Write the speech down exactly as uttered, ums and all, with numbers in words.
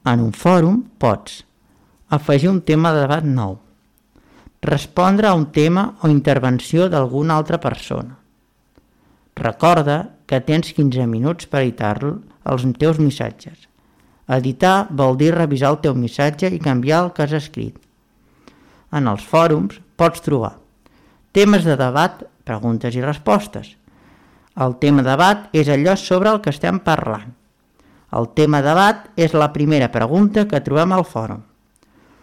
En un fòrum pots afegir un tema de debat nou, respondre a un tema o intervenció d'alguna altra persona. Recorda que tens quinze minuts per editar els teus missatges. Editar vol dir revisar el teu missatge i canviar el que has escrit. En els fòrums pots trobar temes de debat, preguntes i respostes. El tema de debat és allò sobre el que estem parlant. El tema de debat és la primera pregunta que trobem al fòrum.